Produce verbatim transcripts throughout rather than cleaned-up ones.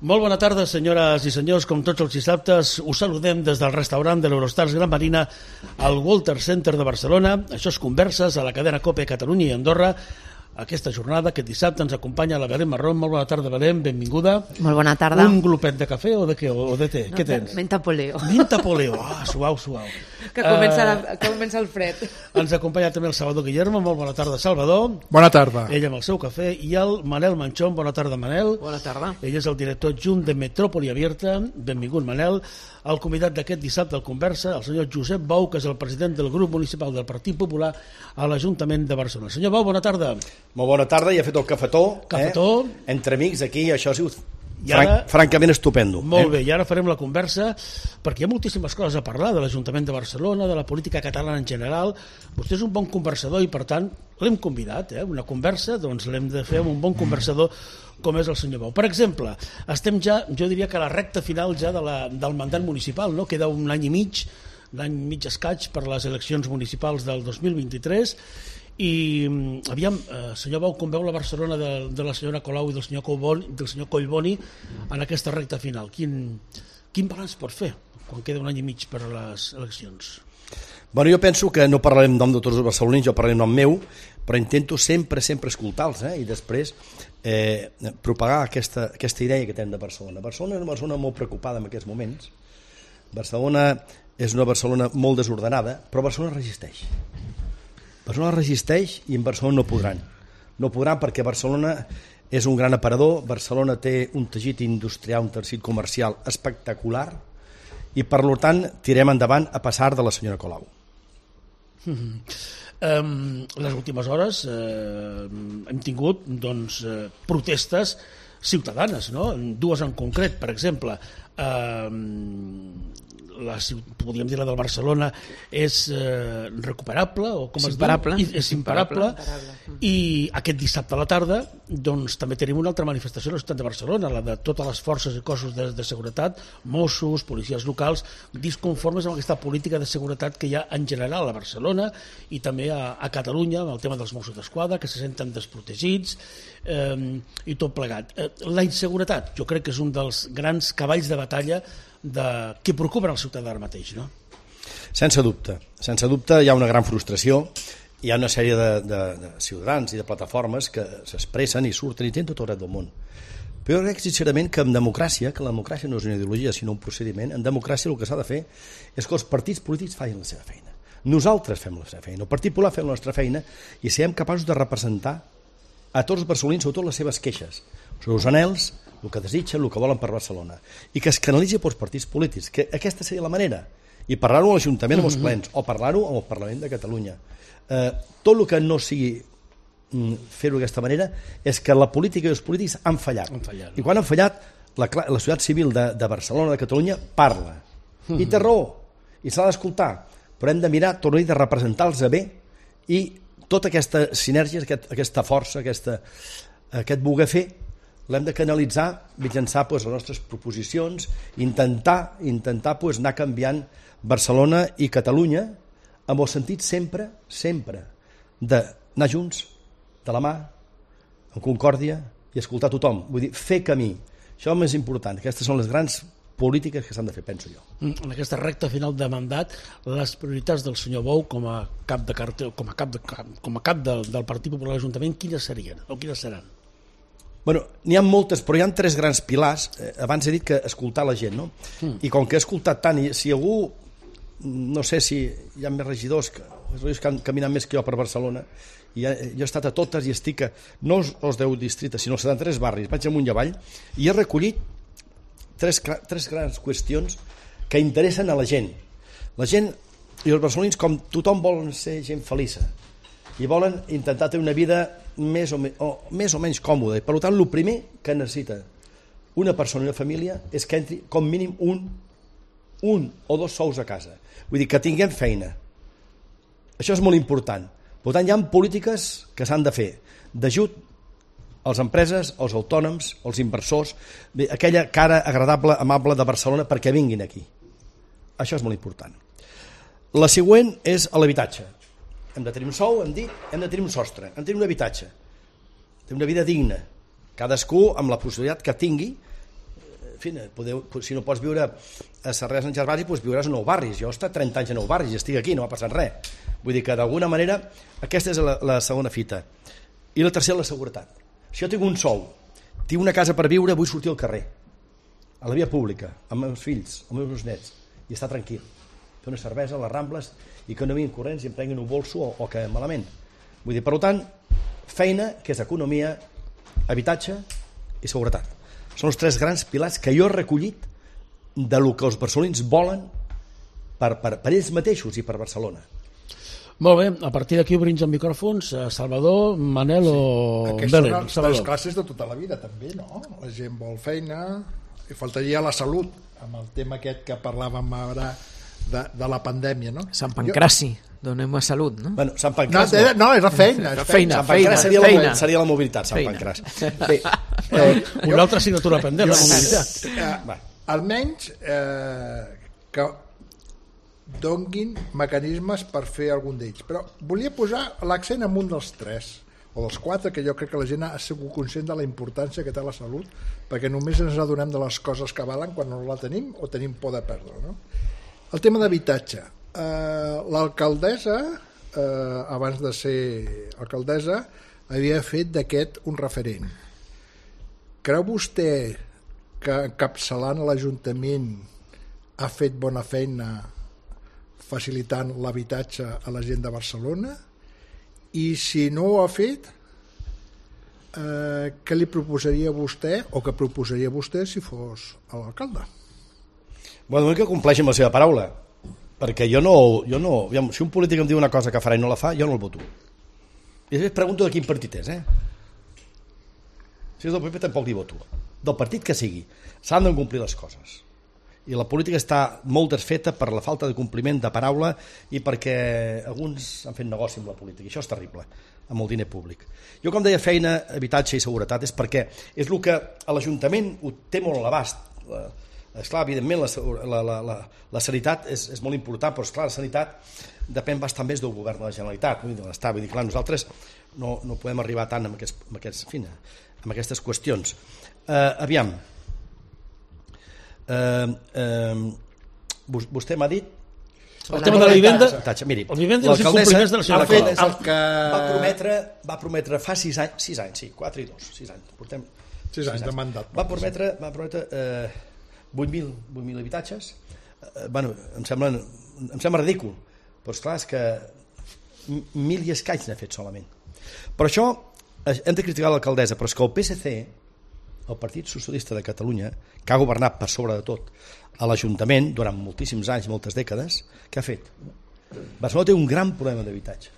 Molt bona tarda, senyores i senyors. Com tots els dissabtes, us saludem des del restaurant de l'Eurostars Gran Marina al Walter Center de Barcelona. Això és Converses a la cadena COPE Catalunya i Andorra. Aquesta jornada, aquest dissabte, ens acompanya la Belén Marrón. Molt bona tarda, Belén, benvinguda. Molt bona tarda. Un glopet de cafè o de què? O de té? No, què tens? Menta poleo. Menta poleo. Ah, suau, suau. Que comença, la, que comença el fred. Ens acompanya també el Salvador Guillermo. Molt bona tarda, Salvador. Bona tarda. Ell amb el seu cafè. I el Manel Manchón. Bona tarda, Manel. Bona tarda. Ell és el director adjunt de Metròpoli Abierta. Benvingut, Manel. El convidat d'aquest dissabte al Conversa, el senyor Josep Bou, que és el president del grup municipal del Partit Popular a l'Ajuntament de Barcelona. Senyor Bou, bona tarda. Molt bona tarda, ja he fet el cafetó. Cafetó. Eh? Entre amics aquí, això ha sigut I ara, franc, francament estupendo. Molt eh? bé, i ara farem la conversa, perquè hi ha moltíssimes coses a parlar de l'Ajuntament de Barcelona, de la política catalana en general. Vostè és un bon conversador i, per tant, l'hem convidat. Eh? Una conversa, doncs l'hem de fer amb un bon conversador com és el senyor Bou. Per exemple, estem ja, jo diria que a la recta final ja de la, del mandat municipal, no? Queda un any i mig, l'any mig escaig per les eleccions municipals del dos mil vint-i-tres, i aviam, eh, senyor Bou, com veu la Barcelona de, de la senyora Colau i del senyor Collboni, del senyor Collboni en aquesta recta final? Quin, quin balanç pot fer quan queda un any i mig per a les eleccions? Bueno, jo penso que no parlarem en nom de tots els barcelonins, jo parlaré en nom meu, però intento sempre, sempre escoltar-los, eh? I després eh, propagar aquesta, aquesta idea que tenim de Barcelona. Barcelona és una Barcelona molt preocupada en aquests moments. Barcelona és una Barcelona molt desordenada, però Barcelona resisteix. Barcelona resisteix i en Barcelona no podran. No podran perquè Barcelona és un gran aparador, Barcelona té un teixit industrial, un teixit comercial espectacular i per tant tirem endavant a passar de la senyora Colau. Mm-hmm. Um, les últimes hores eh, hem tingut doncs, eh, protestes ciutadanes, no? Dues en concret, per exemple, eh, la, podríem dir la del Barcelona és eh, recuperable o com és es imparable. diu? És imparable, imparable. I aquest dissabte a la tarda doncs, també tenim una altra manifestació a la ciutat de Barcelona, la de totes les forces i cossos de, de seguretat, Mossos, policies locals, disconformes amb aquesta política de seguretat que hi ha en general a Barcelona i també a, a Catalunya amb el tema dels Mossos d'Esquadra, que se senten desprotegits eh, i tot plegat. Eh, la inseguretat jo crec que és un dels grans cavalls de batalla de que preocupen el ciutadà ara mateix, no? Sense dubte, sense dubte hi ha una gran frustració, hi ha una sèrie de, de, de ciutadans i de plataformes que s'expressen i surten i tenen tot el dret del món. Però jo crec sincerament que en democràcia, que la democràcia no és una ideologia sinó un procediment, en democràcia el que s'ha de fer és que els partits polítics facin la seva feina. Nosaltres fem la seva feina, el Partit Popular fem la nostra feina i siguem capaços de representar a tots els barcelonins, sobretot les seves queixes, els seus anhels, el que desitgen, el que volen per Barcelona, i que es canalitzi pels partits polítics, que aquesta seria la manera, i parlar-ho a l'Ajuntament amb els plens, o parlar-ho amb el Parlament de Catalunya. Eh, tot el que no sigui mm, fer-ho d'aquesta manera és que la política i els polítics han fallat. Han fallat, no? I quan han fallat, la, la societat civil de, de Barcelona, de Catalunya, parla. I té raó, i s'ha d'escoltar, però hem de mirar, torno a dir, de representar-los bé i tota aquesta sinergia, aquest, aquesta força, aquesta, aquest voler fer, l'hem de canalitzar mitjançant pues, les nostres proposicions, intentar, intentar pues, anar canviant Barcelona i Catalunya amb el sentit sempre, sempre d'anar junts, de la mà, en concòrdia i escoltar tothom. Vull dir, fer camí. Això és el més important. Aquestes són les grans polítiques que s'han de fer, penso jo. En aquesta recta final de mandat, les prioritats del senyor Bou com a cap de cartel, com a cap, de, com a cap del, del Partit Popular a l'Ajuntament, quines serien o quines seran? Bueno, n'hi ha moltes, però hi ha tres grans pilars. Eh, abans he dit que escoltar la gent, no? Mm. I com que he escoltat tant, i si algú, no sé si hi ha més regidors que, regidors que han caminat més que jo per Barcelona, i jo he estat a totes i estic a, no els deu districtes, sinó als setanta-tres barris, vaig amunt i avall, i he recollit tres, tres grans qüestions que interessen a la gent. La gent i els barcelonins, com tothom, volen ser gent feliça i volen intentar tenir una vida més o, me, o, més o menys còmoda. I per tant, el primer que necessita una persona i una família és que entri com mínim un, un o dos sous a casa. Vull dir, que tinguem feina. Això és molt important. Per tant, hi ha polítiques que s'han de fer d'ajut a les empreses, als autònoms, als inversors, bé, aquella cara agradable, amable de Barcelona perquè vinguin aquí. Això és molt important. La següent és l'habitatge. Hem de tenir un sou, hem dit, hem de tenir un sostre, hem de tenir un habitatge, tenir una vida digna, cadascú amb la possibilitat que tingui fi, podeu, si no pots viure a Sarrià Sant Gervasi, doncs viuràs a Nou Barris. Jo he estat trenta anys a Nou Barris i estic aquí, no ha passat res. Vull dir que d'alguna manera aquesta és la, la segona fita. I la tercera, la seguretat. Si jo tinc un sou, tinc una casa per viure, vull sortir al carrer, a la via pública, amb els meus fills, amb els meus nets, i estar tranquil. Fer una cervesa a les Rambles i que no vinguin corrents i em prenguin un bolso o, o que malament. Vull dir, per tant, feina, que és economia, habitatge i seguretat. Són els tres grans pilars que jo he recollit de lo que els barcelonins volen per, per, per ells mateixos i per Barcelona. Molt bé, a partir d'aquí obrim els micròfons. Salvador, Manel o sí. Belén? Aquestes són les classes de tota la vida també, no? La gent vol feina i faltaria la salut amb el tema aquest que parlàvem ara de, de la pandèmia, no? Sant Pancraci, donem a salut, no? Bueno, Sant No, Pancràs era, no, era feina. Era feina, Sant Pancràs seria, feina. La, seria la mobilitat, Sant Feina. Pancràs. Bé, eh, Una altra assignatura pendent, la mobilitat. Eh, almenys eh, que donguin mecanismes per fer algun d'ells. Però volia posar l'accent en un dels tres, o dels quatre, que jo crec que la gent ha sigut conscient de la importància que té la salut, perquè només ens adonem de les coses que valen quan no la tenim o tenim por de perdre, no? El tema d'habitatge. Eh, l'alcaldessa, eh, abans de ser alcaldessa, havia fet d'aquest un referent. Creu vostè que encapçalant l'Ajuntament ha fet bona feina facilitant l'habitatge a la gent de Barcelona? I si no ho ha fet, eh, què li proposaria a vostè o què proposaria a vostè si fos l'alcalde? Bueno, que compleixi amb la seva paraula, perquè jo no, jo no... Si un polític em diu una cosa que farà i no la fa, jo no el voto. I després pregunto de quin partit és, eh? Si és del P P tampoc li voto. Del partit que sigui. S'han de complir les coses. I la política està molt desfeta per la falta de compliment de paraula i perquè alguns han fet negoci amb la política. I això és terrible, amb el diner públic. Jo, com deia, feina, habitatge i seguretat és perquè és el que a l'Ajuntament ho té molt a l'abast. Esclar, evidentment, la, la, la, la, la sanitat és, és molt important, però esclar, la sanitat depèn bastant més del govern de la Generalitat, de l'Estat. Vull dir, clar, nosaltres no, no podem arribar tant amb, aquests, amb, aquests, en fi, amb aquestes qüestions. Uh, aviam, Uh, uh, vostè m'ha dit el tema de la vivenda, miri, el vivenda i els incompliments de la senyora alcaldessa el que... va, prometre, va prometre fa sis anys, sis anys, sí, quatre i dos, sis anys, portem sis anys de mandat. Va prometre, va prometre eh, vuit mil habitatges. Eh, bueno, em sembla, em sembla ridícul, però esclar, és que mil i escaig n'ha fet solament. Per això hem de criticar l'alcaldessa, però és que el P S C, el Partit Socialista de Catalunya, que ha governat per sobre de tot a l'Ajuntament durant moltíssims anys, moltes dècades, què ha fet? Barcelona té un gran problema d'habitatge.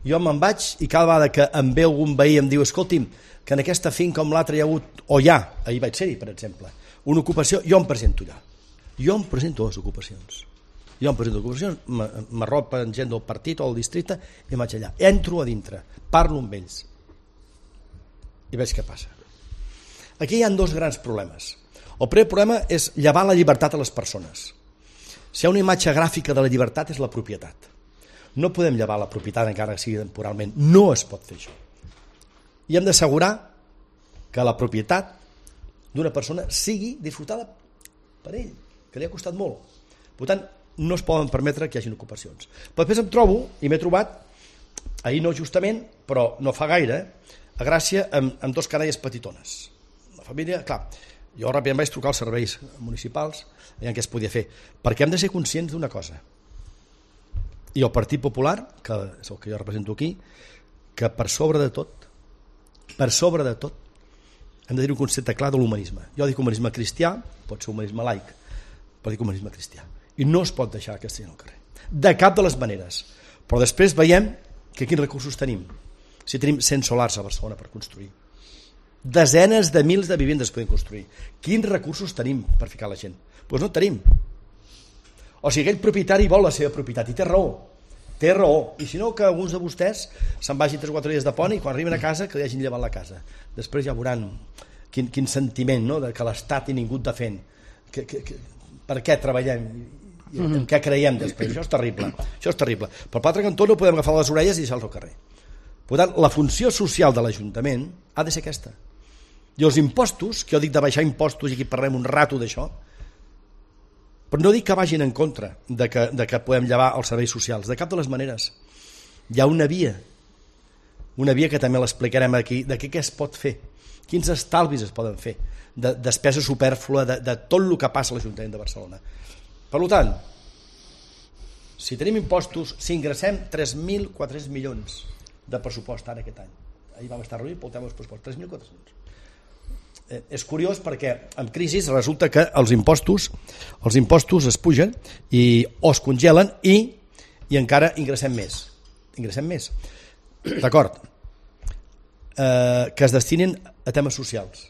Jo me'n vaig i cada vegada que em ve algun veí em diu, escolti'm, que en aquesta finca com l'altra hi ha hagut, o ja, ahir vaig ser-hi, per exemple, una ocupació, jo em presento allà. Jo em presento a les ocupacions. Jo em presento a ocupacions, m'arropen gent del partit o del districte i vaig allà. Entro a dintre, parlo amb ells i veig què passa. Aquí hi ha dos grans problemes. El primer problema és llevar la llibertat a les persones. Si hi ha una imatge gràfica de la llibertat és la propietat. No podem llevar la propietat encara que sigui temporalment. No es pot fer això. I hem d'assegurar que la propietat d'una persona sigui disfrutada per ell, que li ha costat molt. Per tant, no es poden permetre que hi hagi ocupacions. Però després em trobo, i m'he trobat, ahir no justament, però no fa gaire, a Gràcia, amb, amb dos canalles petitones. La família, clar, jo ràpidament vaig trucar als serveis municipals i en què es podia fer, perquè hem de ser conscients d'una cosa. I el Partit Popular, que és el que jo represento aquí, que per sobre de tot, per sobre de tot, hem de dir un concepte clar de l'humanisme. Jo dic humanisme cristià, pot ser humanisme laic, però dic humanisme cristià. I no es pot deixar aquesta gent al carrer. De cap de les maneres. Però després veiem que quins recursos tenim. Si tenim cent solars a Barcelona per construir, desenes de mils de vivendes podem construir. Quins recursos tenim per ficar la gent? Doncs no tenim. O sigui, aquell propietari vol la seva propietat i té raó. Té raó. I si no, que alguns de vostès se'n vagin tres o quatre dies de pont i quan arriben a casa que li hagin llevat la casa. Després ja veuran quin, quin sentiment, no?, de que l'Estat i ningú et defèn. Que, que, que, per què treballem? I en mm-hmm. què creiem després? Això és terrible. Això és terrible. Per l'altre cantó no podem agafar les orelles i deixar-los al carrer. Per tant, la funció social de l'Ajuntament ha de ser aquesta. I els impostos, que jo dic de baixar impostos i aquí parlem un rato d'això, però no dic que vagin en contra de que, de que podem llevar els serveis socials, de cap de les maneres. Hi ha una via, una via que també l'explicarem aquí, de què, què es pot fer, quins estalvis es poden fer, de despesa supèrflua, de, de tot el que passa a l'Ajuntament de Barcelona. Per tant, si tenim impostos, si ingressem tres mil quatre-cents milions de pressupost ara aquest any, ahir vam estar reunint pel tema dels pressupostos, tres mil quatre-cents. Eh, és curiós perquè en crisi resulta que els impostos els impostos es pugen i, o es congelen i, i encara ingressem més ingressem més d'acord eh, que es destinin a temes socials,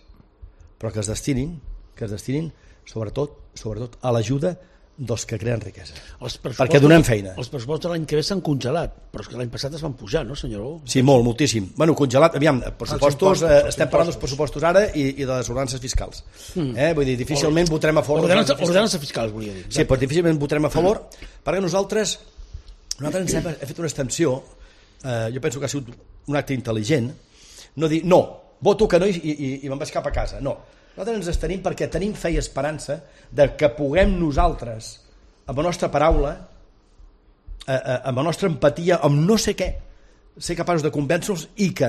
però que es destinin que es destinin sobretot, sobretot a l'ajuda dels que creen riquesa, perquè donem feina. Els pressupostos de l'any que ve s'han congelat, però és que l'any passat es van pujar, no, senyor? Sí, molt, moltíssim. Bueno, congelat, aviam, pressupostos, eh, estem parlant dels pressupostos ara i, i de les ordenances fiscals. Mm. Eh? Vull dir, difícilment o, votarem a favor... Ordenances, ordenances fiscals, volia dir. Sí, però difícilment votarem a favor, perquè nosaltres, nosaltres ens hem, hem fet una extensió, eh, jo penso que ha sigut un acte intel·ligent, no dir, no, voto que no i, i, i me'n vaig cap a casa, no. Nosaltres ens estenim perquè tenim fe i esperança de que puguem nosaltres, amb la nostra paraula, amb la nostra empatia, amb no sé què, ser capaços de convèncer-los i que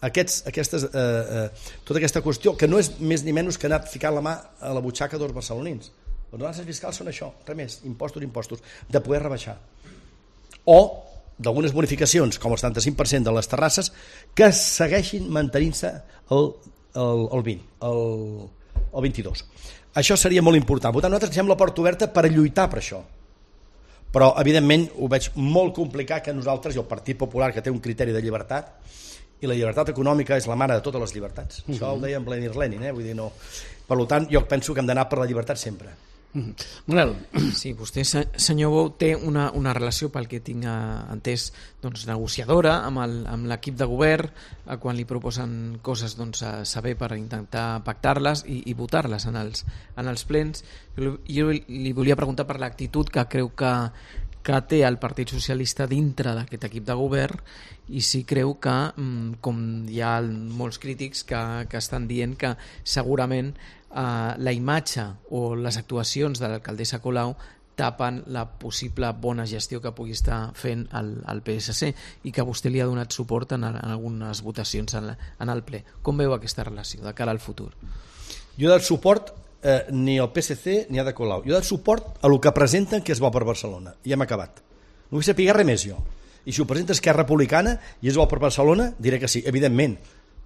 aquests, aquestes, eh, eh, tota aquesta qüestió, que no és més ni menys que anar ficant la mà a la butxaca dels barcelonins. Les ordenances fiscals són això, res més, impostos, impostos, de poder rebaixar. O d'algunes bonificacions, com el setanta-cinc per cent de les terrasses, que segueixin mantenint-se el el, el vint, el, el vint-i-dos. Això seria molt important. Per tant, nosaltres deixem la porta oberta per lluitar per això. Però, evidentment, ho veig molt complicat que nosaltres, i el Partit Popular, que té un criteri de llibertat, i la llibertat econòmica és la mare de totes les llibertats. Mm-hmm. Això ho deia en Vladimir Lenin, eh? Vull dir, no. Per tant, jo penso que hem d'anar per la llibertat sempre. Manel. Sí, vostè, senyor Bou, té una, una relació, pel que tinc entès, doncs, negociadora amb l'equip de govern, quan li proposen coses, doncs, a saber per intentar pactar-les i, i votar-les en els, en els plens. Jo, jo li volia preguntar per l'actitud que creu que, que té el Partit Socialista dintre d'aquest equip de govern i si creu que, com hi ha molts crítics que, que estan dient que segurament Uh, la imatge o les actuacions de l'alcaldessa Colau tapen la possible bona gestió que pugui estar fent el, el P S C i que vostè li ha donat suport en, en algunes votacions en, la, en el ple. Com veu aquesta relació de cara al futur? Jo he dat suport eh, ni al P S C ni a de Colau. Jo he dat suport a el que presenten que és bo per Barcelona i hem acabat. No vull saber res més jo. I si ho presenta Esquerra Republicana i és bo per Barcelona, diré que sí, evidentment.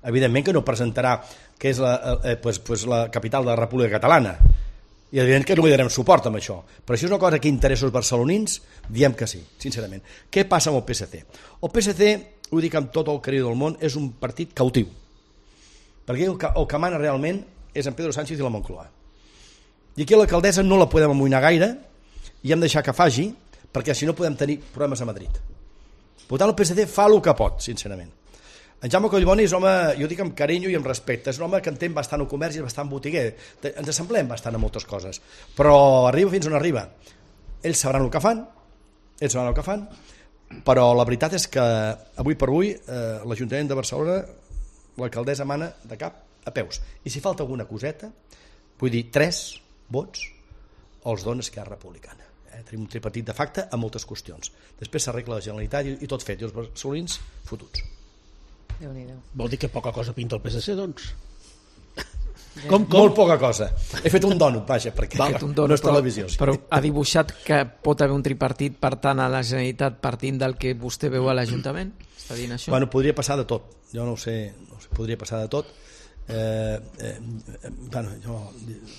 Evidentment que no presentarà que és la, eh, pues, pues la capital de la República Catalana i evident que no li darem suport amb això, però si és una cosa que interessa els barcelonins, diem que sí, sincerament. Què passa amb el P S C? El P S C, ho dic amb tot el carinyo del món, és un partit cautiu, perquè el que, el que mana realment és en Pedro Sánchez i la Moncloa, i aquí l'alcaldessa no la podem amoïnar gaire i hem de deixar que faci, perquè si no podem tenir problemes a Madrid. Per tant, el P S C fa el que pot, sincerament. En Jaume Collboni és un home, jo dic amb carinyo i amb respecte, és un home que entén bastant el comerç i és bastant botiguer, ens assemblem bastant a moltes coses, però arriba fins on arriba. Ells sabran el que fan, ells sabran el que fan, però la veritat és que avui per avui eh, l'Ajuntament de Barcelona, l'alcaldessa mana de cap a peus, i si falta alguna coseta, vull dir, tres vots els dona Esquerra Republicana. Eh? Tenim un tripartit de facte a moltes qüestions. Després s'arregla la Generalitat i, i tot fet, i els barcelonins fotuts. Vol dir que poca cosa pinta el P S C, doncs? Com, com? Molt poca cosa. He fet un dònut, vaja, perquè Val, un dònut, no és televisió. Però, però ha dibuixat que pot haver un tripartit per tant a la Generalitat partint del que vostè veu a l'Ajuntament? Està dient això? Bueno, podria passar de tot. Jo no ho sé, no sé, podria passar de tot. Eh, eh, bueno, jo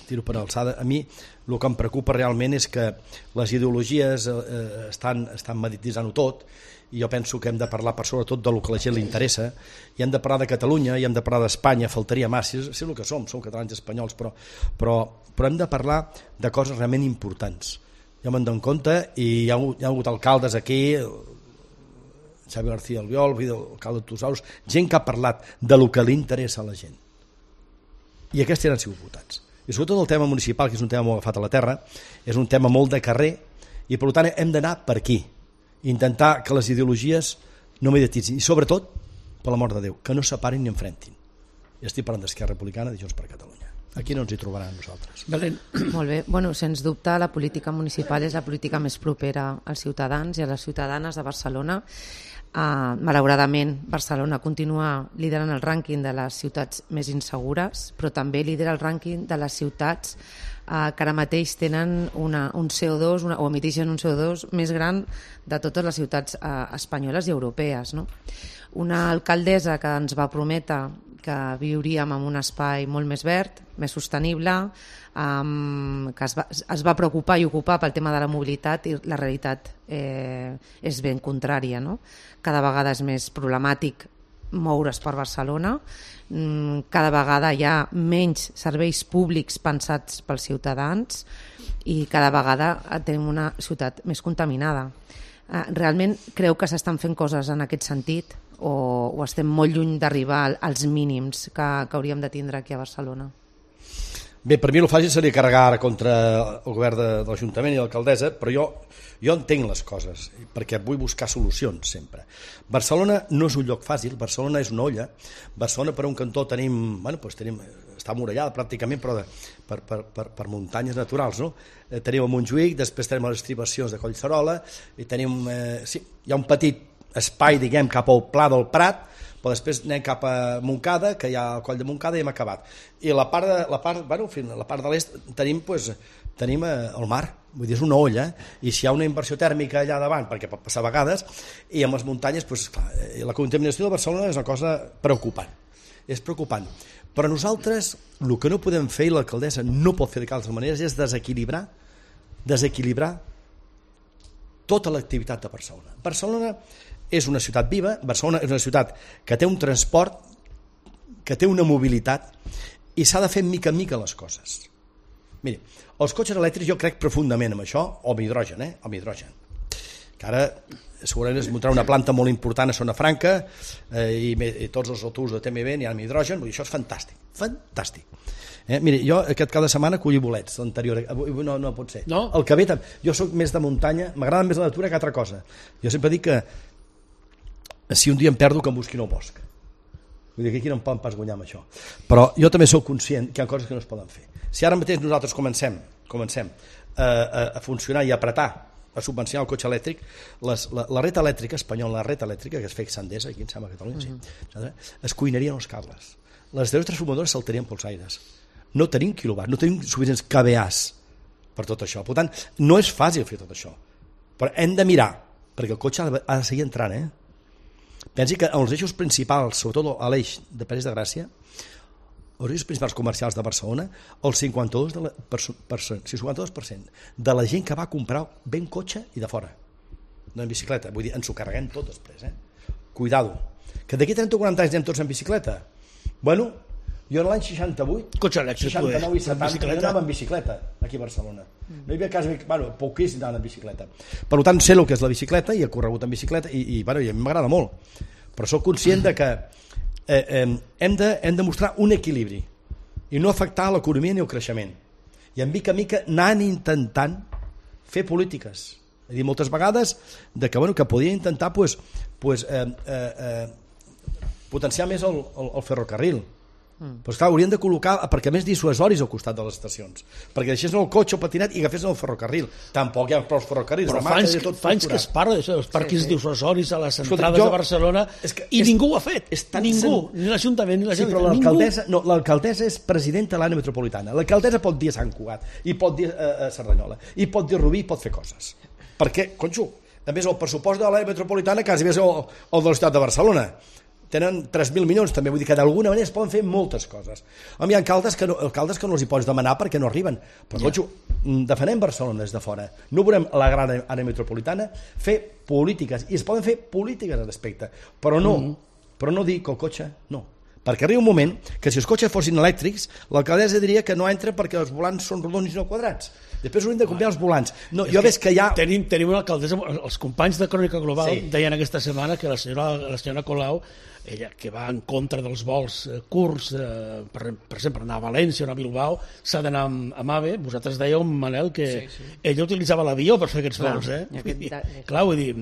tiro per alçada. A mi el que em preocupa realment és que les ideologies eh, estan, estan medititzant-ho tot i jo penso que hem de parlar per sobretot del que a la gent li interessa i hem de parlar de Catalunya i hem de parlar d'Espanya, faltaria massa, és el que som, som catalans i espanyols, però, però, però hem de parlar de coses realment importants. Jo me'n dono compte i hi ha, hi ha hagut alcaldes aquí, Xavi García Albiol, l'alcalde de Tosaus, gent que ha parlat de lo que li interessa a la gent. I aquests han sigut votats. I sobretot el tema municipal, que és un tema molt agafat a la terra, és un tema molt de carrer i per tant hem d'anar per aquí. Intentar que les ideologies no medititzin i sobretot, per l'amor de Déu, que no separin ni enfrentin. i estic parlant d'Esquerra Republicana i Junts per Catalunya. Aquí no ens hi trobaran nosaltres. Belén. Molt bé. Bueno, sens dubte, la política municipal és la política més propera als ciutadans i a les ciutadanes de Barcelona. Uh, malauradament, Barcelona continua liderant el rànquing de les ciutats més insegures, però també lidera el rànquing de les ciutats uh, que ara mateix tenen una, un C O dos una, o emiteixen un C O dos més gran de totes les ciutats uh, espanyoles i europees, no? Una alcaldessa que ens va prometre que viuríem en un espai molt més verd, més sostenible, um, que es va, es va preocupar i ocupar pel tema de la mobilitat, i la realitat eh, és ben contrària, no? Cada vegada és més problemàtic moure's per Barcelona, mm, cada vegada hi ha menys serveis públics pensats pels ciutadans i cada vegada tenim una ciutat més contaminada. Uh, realment creu que s'estan fent coses en aquest sentit o, o estem molt lluny d'arribar als mínims que, que hauríem de tindre aquí a Barcelona? Bé, per mi el fàcil seria carregar ara contra el govern de, de l'Ajuntament i l'alcaldessa, però jo, jo entenc les coses, perquè vull buscar solucions sempre. Barcelona no és un lloc fàcil, Barcelona és una olla. Barcelona, per un cantó, tenim, bueno, doncs tenim, està murallada pràcticament, però de, per, per, per, per muntanyes naturals, no? Eh, tenim a Montjuïc, després tenim les estribacions de Collserola, i tenim, eh, sí, hi ha un petit espai, diguem, cap al Pla del Prat, però després anem cap a Montcada, que hi ha el Coll de Montcada i hem acabat. I la part de, la part, bueno, la part de l'est tenim, pues, tenim el mar, vull dir, és una olla, i si hi ha una inversió tèrmica allà davant, perquè pot passar a vegades, i amb les muntanyes, pues, clar, la contaminació de Barcelona és una cosa preocupant, és preocupant. Però nosaltres, el que no podem fer, i l'alcaldessa no pot fer de cap manera, és desequilibrar, desequilibrar tota l'activitat de Barcelona. Barcelona és una ciutat viva, Barcelona és una ciutat que té un transport, que té una mobilitat, i s'ha de fer mica en mica les coses. Miri, els cotxes elèctrics jo crec profundament en això, o amb hidrogen, eh? Amb hidrogen. Que ara segurament es muntarà una planta molt important a Zona Franca eh, i, i tots els autobusos de T M B n'hi ha amb hidrogen, vull dir, això és fantàstic, fantàstic. Eh, miri, jo aquest cada setmana colli bolets, l'anterior, no, no pot ser. No? El que ve, jo soc més de muntanya, m'agrada més la natura que altra cosa. Jo sempre dic que si un dia em perdo que em busquin al bosc. Vull dir que aquí no em poden pas guanyar amb això. Però jo també sóc conscient que hi ha coses que no es poden fer. Si ara mateix nosaltres comencem, comencem a, a, a funcionar i a apretar, a subvencionar el cotxe elèctric, les, la, la ret elèctrica espanyola, la ret elèctrica que es feia Sandesa, aquí em sembla a Catalunya, uh-huh. sí, es cuinarien els cables. Les deu transformadores saltarien pels aires. No tenim quilowatts, no tenim suficients K V As per tot això. Per tant, no és fàcil fer tot això. Però hem de mirar, perquè el cotxe ha de seguir entrant, eh? Pensi que els eixos principals, sobretot a l'eix de París de Gràcia, els eixos principals comercials de Barcelona, el cinquanta-dos per cent, per, per, cinquanta-dos per cent de la gent que va comprar ben cotxe i de fora, no en bicicleta, vull dir, ens ho carreguem tot després, eh? Cuidado, que d'aquí trenta o quaranta anys anem tots en bicicleta. Bueno, jo en l'any seixanta-vuit, cotxe elèctric, seixanta-nou i setanta, bicicleta. jo anava en bicicleta aquí a Barcelona. No hi havia quasi, bueno, poquíssim anant en bicicleta. Per tant, sé el que és la bicicleta i he corregut en bicicleta i, i, bueno, i a mi m'agrada molt. Però sóc conscient de que eh, eh, hem, de, hem de mostrar un equilibri i no afectar l'economia ni el creixement. I en mica a mica anant intentant fer polítiques. És a dir, moltes vegades de que, bueno, que podia intentar pues, pues, eh, eh, eh, potenciar més el, el, el ferrocarril. Mm. Però esclar, haurien de col·locar, perquè més dissuasoris al costat de les estacions, perquè deixés el cotxe o patinet i agafés el ferrocarril. Tampoc hi ha prou ferrocarrils. Però fa anys, que, fa anys que es parla d'això, dels parquis sí, sí. dissuasoris a les entrades jo, de Barcelona, és que i és, ningú ho ha fet, ningú, sen... ni l'Ajuntament ni la sí, Generalitat. Però l'alcaldessa no, l'alcaldessa és presidenta de l'àrea metropolitana. L'alcaldessa pot dir a Sant Cugat, i pot dir a, a Cerdanyola, i pot dir a Rubí, i pot fer coses. Perquè, conxo, a més el pressupost de l'àrea metropolitana quasi és el, el de la ciutat de Barcelona. Tenen tres mil milions també, vull dir que d'alguna manera es poden fer moltes coses. Home, hi ha alcaldes que no, alcaldes que no els hi pots demanar perquè no arriben, però ja. Conxo, defenem Barcelona des de fora, no volem la gran àrea metropolitana, fer polítiques, i es poden fer polítiques al respecte, però no, mm. però no dir que el cotxe no, perquè arriba un moment que si els cotxes fossin elèctrics l'alcaldessa diria que no entra perquè els volants són rodons i no quadrats. Després hauríem de canviar els volants. No, jo veig que hi ha... Tenim, tenim una alcaldessa, els companys de Crònica Global sí. deien aquesta setmana que la senyora, la senyora Colau, ella que va en contra dels vols eh, curts, eh, per, per exemple, anar a València o anar a Bilbao, s'ha d'anar amb, amb AVE. Vosaltres dèieu, Manel, que sí, sí. ella utilitzava l'avió per fer aquests clar, vols, eh? Aquest... I, clar, vull dir,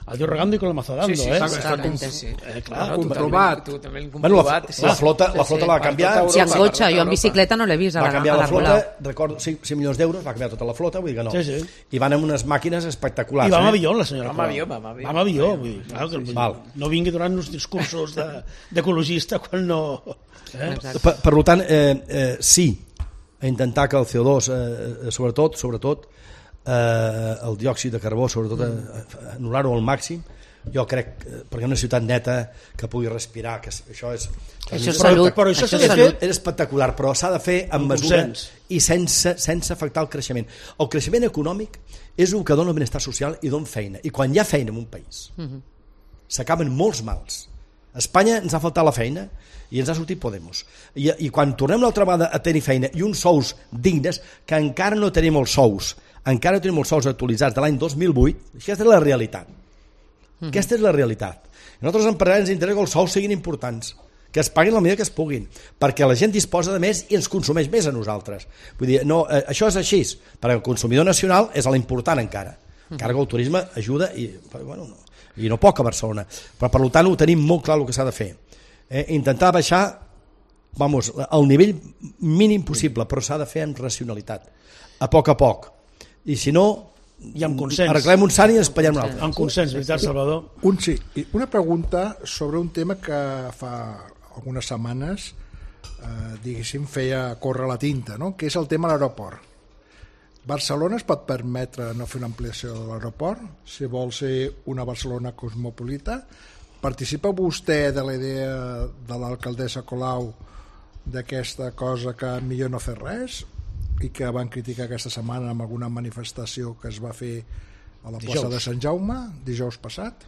Adiós regando i con la mazo dando, Sí, sí, eh? Està, està com, sí, sí. Eh, clar, comprovat. Totalment Bueno, la, comprovat. sí. la flota, la flota la va canviar, Si en cotxe, jo en bicicleta no l'he vist a va la, canviar a la la flota, Gola. recordo, cinc milions d'euros, va canviar tota la flota, vull dir que no. Sí, sí. I van amb unes màquines espectaculars. I va amb eh? avió, la senyora. Va amb avió, va amb avió. Va amb avió, vull dir, clar, que, vull dir, Val. no vingui donant uns discursos de- d'ecologista quan no... Eh? Exacte. Per, per tant, eh, eh, sí, a intentar que el C O dos, eh, sobretot, sobretot eh, el diòxid de carbó, sobretot eh, anul·lar-ho al màxim, jo crec, eh, perquè una ciutat neta que pugui respirar, que això és... Això és però, salut. però això Això s'ha és de salut. fer... és espectacular, però s'ha de fer amb Amb mesura consens. i sense, sense afectar el creixement. El creixement econòmic és el que dona el benestar social i dona feina. I quan hi ha feina en un país, s'acaben molts mals. A Espanya ens ha faltat la feina i ens ha sortit Podemos. I, i quan tornem l'altra vegada a tenir feina i uns sous dignes, que encara no tenim els sous, encara no tenim els sous actualitzats de l'any dos mil vuit, aquesta és la realitat. Aquesta és la realitat. A nosaltres els empresaris ens interessa que els sous siguin importants, que es paguin la medida que es puguin, perquè la gent disposa de més i ens consumeix més a nosaltres. Vull dir, no, eh, això és així, perquè el consumidor nacional és l'important encara. Encara que el turisme ajuda i, bueno, no, i no poc a Barcelona. Però per tant ho tenim molt clar el que s'ha de fer. Eh, intentar baixar vamos, al nivell mínim possible, però s'ha de fer amb racionalitat, a poc a poc. I si no, I amb consens. arreglem un sant i espatllem un altre. Amb consens, veritat, Salvador? Un, sí. I una pregunta sobre un tema que fa algunes setmanes eh, diguéssim feia córrer la tinta, no? Que és el tema de l'aeroport. Barcelona es pot permetre no fer una ampliació de l'aeroport si vol ser una Barcelona cosmopolita? Participa vostè de la idea de l'alcaldessa Colau d'aquesta cosa que millor no fer res i que van criticar aquesta setmana amb alguna manifestació que es va fer a la plaça Dijous. de Sant Jaume dijous passat?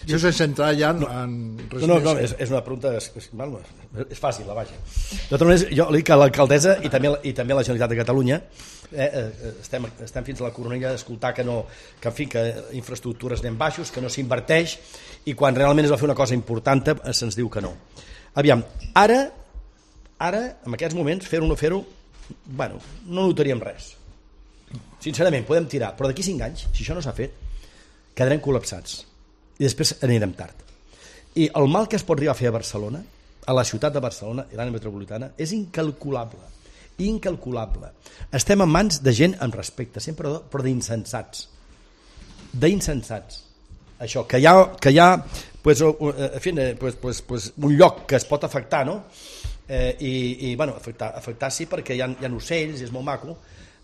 Això sense entrar ja en, en res No, no, no, més. és, és una pregunta és, és, bueno, és fàcil, la vaja. De totes maneres, jo li dic que l'alcaldessa i també, i també la Generalitat de Catalunya eh, eh, estem, estem fins a la coronella d'escoltar que no, que en fi, que infraestructures anem baixos, que no s'inverteix, i quan realment es va fer una cosa important eh, se'ns diu que no. Aviam, ara ara, en aquests moments, fer-ho o no fer-ho, bueno, no notaríem res. Sincerament, podem tirar, però d'aquí cinc anys, si això no s'ha fet, quedarem col·lapsats. I després anirem tard. I el mal que es pot arribar a fer a Barcelona, a la ciutat de Barcelona i l'àrea metropolitana, és incalculable. Incalculable. Estem en mans de gent amb respecte, sempre, però d'insensats. D'insensats. Això, que hi ha, que hi ha pues, en fi, pues, pues, pues, un lloc que es pot afectar, no? Eh, i, i bueno, afectar, afectar sí, perquè hi ha, hi ha ocells, és molt maco,